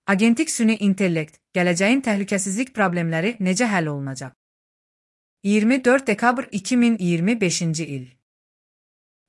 Agentik süni intellekt, gələcəyin təhlükəsizlik problemləri necə həll olunacaq? 24 dekabr 2025-ci il.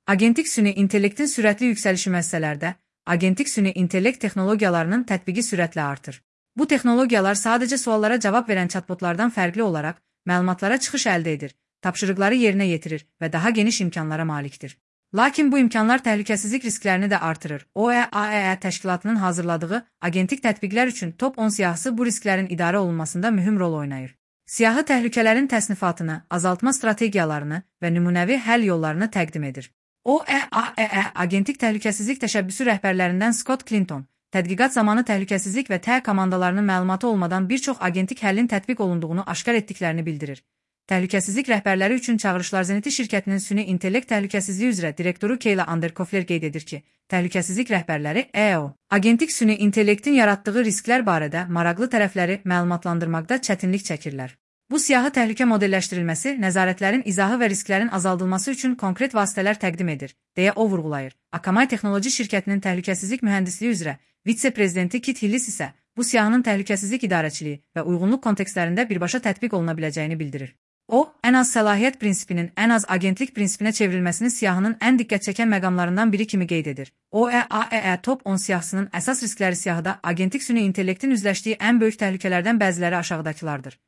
Agentik süni intellektin sürətli yüksəlişi müəssisələrdə, agentik süni intellekt texnologiyalarının tətbiqi sürətlə artır. Bu texnologiyalar sadəcə suallara cavab verən chatbotlardan fərqli olaraq, məlumatlara çıxış əldə edir, tapşırıqları yerinə yetirir və daha geniş imkanlara malikdir. Lakin bu imkanlar təhlükəsizlik risklərini də artırır. OEAEE təşkilatının hazırladığı agentik tətbiqlər üçün top 10 siyahısı bu risklərin idarə olunmasında mühüm rol oynayır. Siyahı təhlükələrin təsnifatını, azaltma strategiyalarını və nümunəvi həll yollarını təqdim edir. OEAEE agentik təhlükəsizlik təşəbbüsü rəhbərlərindən Scott Clinton, tədqiqat zamanı təhlükəsizlik və TE komandalarının məlumatı olmadan bir çox agentik həllin tətbiq olunduğunu aşkar etdiklərini bildirir. Təhlükəsizlik rəhbərləri üçün çağırışlar Zeniti şirkətinin süni intellekt təhlükəsizliyi üzrə direktoru Kayla Anderkofler qeyd edir ki, təhlükəsizlik rəhbərləri EO, agentik süni intellektin yaratdığı risklər barədə maraqlı tərəfləri məlumatlandırmaqda çətinlik çəkirlər. Bu siyahı təhlükə modelləşdirilməsi, nəzarətlərin izahı və risklərin azaldılması üçün konkret vasitələr təqdim edir, deyə o vurğulayır. Akamai Texnoloji şirkətinin təhlükəsizlik mühəndisliyi üzrə vitse-prezidenti Kit Hillis isə bu siyahının təhlükəsizlik idarəçiliyi və uyğunluq kontekstlərində birbaşa tətbiq oluna biləcəyini bildirir. O, ən az səlahiyyət prinsipinin ən az agentlik prinsipinə çevrilməsini siyahının ən diqqət çəkən məqamlarından biri kimi qeyd edir. OEAEE top 10 siyahısının əsas riskləri siyahıda agentik süni intellektin üzləşdiyi ən böyük təhlükələrdən bəziləri aşağıdakılardır.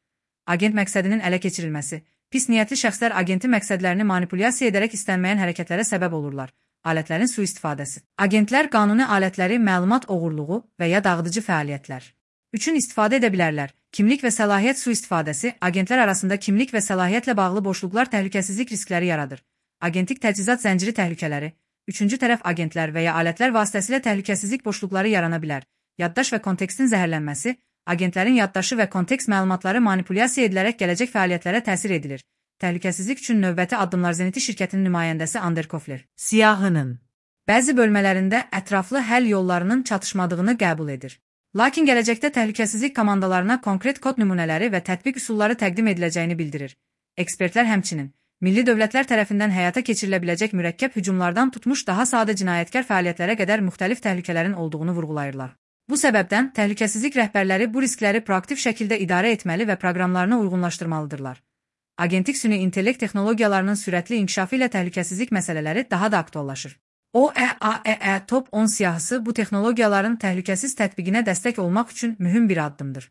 Agent məqsədinin ələ keçirilməsi. Pis niyyətli şəxslər agenti məqsədlərini manipulyasiya edərək istənməyən hərəkətlərə səbəb olurlar. Alətlərin sui-istifadəsi. Agentlər qanuni alətləri, məlumat oğurluğu və ya dağıdıcı fəaliyyətlər üçün istifadə edə bilərlər. Kimlik və səlahiyyət sui-istifadəsi, agentlər arasında kimlik və səlahiyyətlə bağlı boşluqlar təhlükəsizlik riskləri yaradır. Agentik təchizat zənciri təhlükələri, üçüncü tərəf agentlər və ya alətlər vasitəsilə təhlükəsizlik boşluqları yarana bilər. Yaddaş və kontekstin zəhərlənməsi, agentlərin yaddaşı və kontekst məlumatları manipulyasiya edilərək gələcək fəaliyyətlərə təsir edilir. Təhlükəsizlik üçün növbəti addımlar Zeniti şirkətinin nümayəndəsi Anderkofler. Siyahının bəzi bölmələrində ətraflı həll yollarının çatışmadığını qəbul edir. Lakin gələcəkdə təhlükəsizlik komandalarına konkret kod nümunələri və tətbiq üsulları təqdim ediləcəyini bildirir. Ekspertlər həmçinin, milli dövlətlər tərəfindən həyata keçirilə biləcək mürəkkəb hücumlardan tutmuş daha sadə cinayətkar fəaliyyətlərə qədər müxtəlif təhlükələrin olduğunu vurğulayırlar. Bu səbəbdən təhlükəsizlik rəhbərləri bu riskləri proaktiv şəkildə idarə etməli və proqramlarını uyğunlaşdırmalıdırlar. Agentik süni intellekt texnologiyalarının sürətli inkişafı ilə təhlükəsizlik məsələləri daha da aktuallaşır. OEAEE top 10 siyahısı bu texnologiyaların təhlükəsiz tətbiqinə dəstək olmaq üçün mühüm bir addımdır.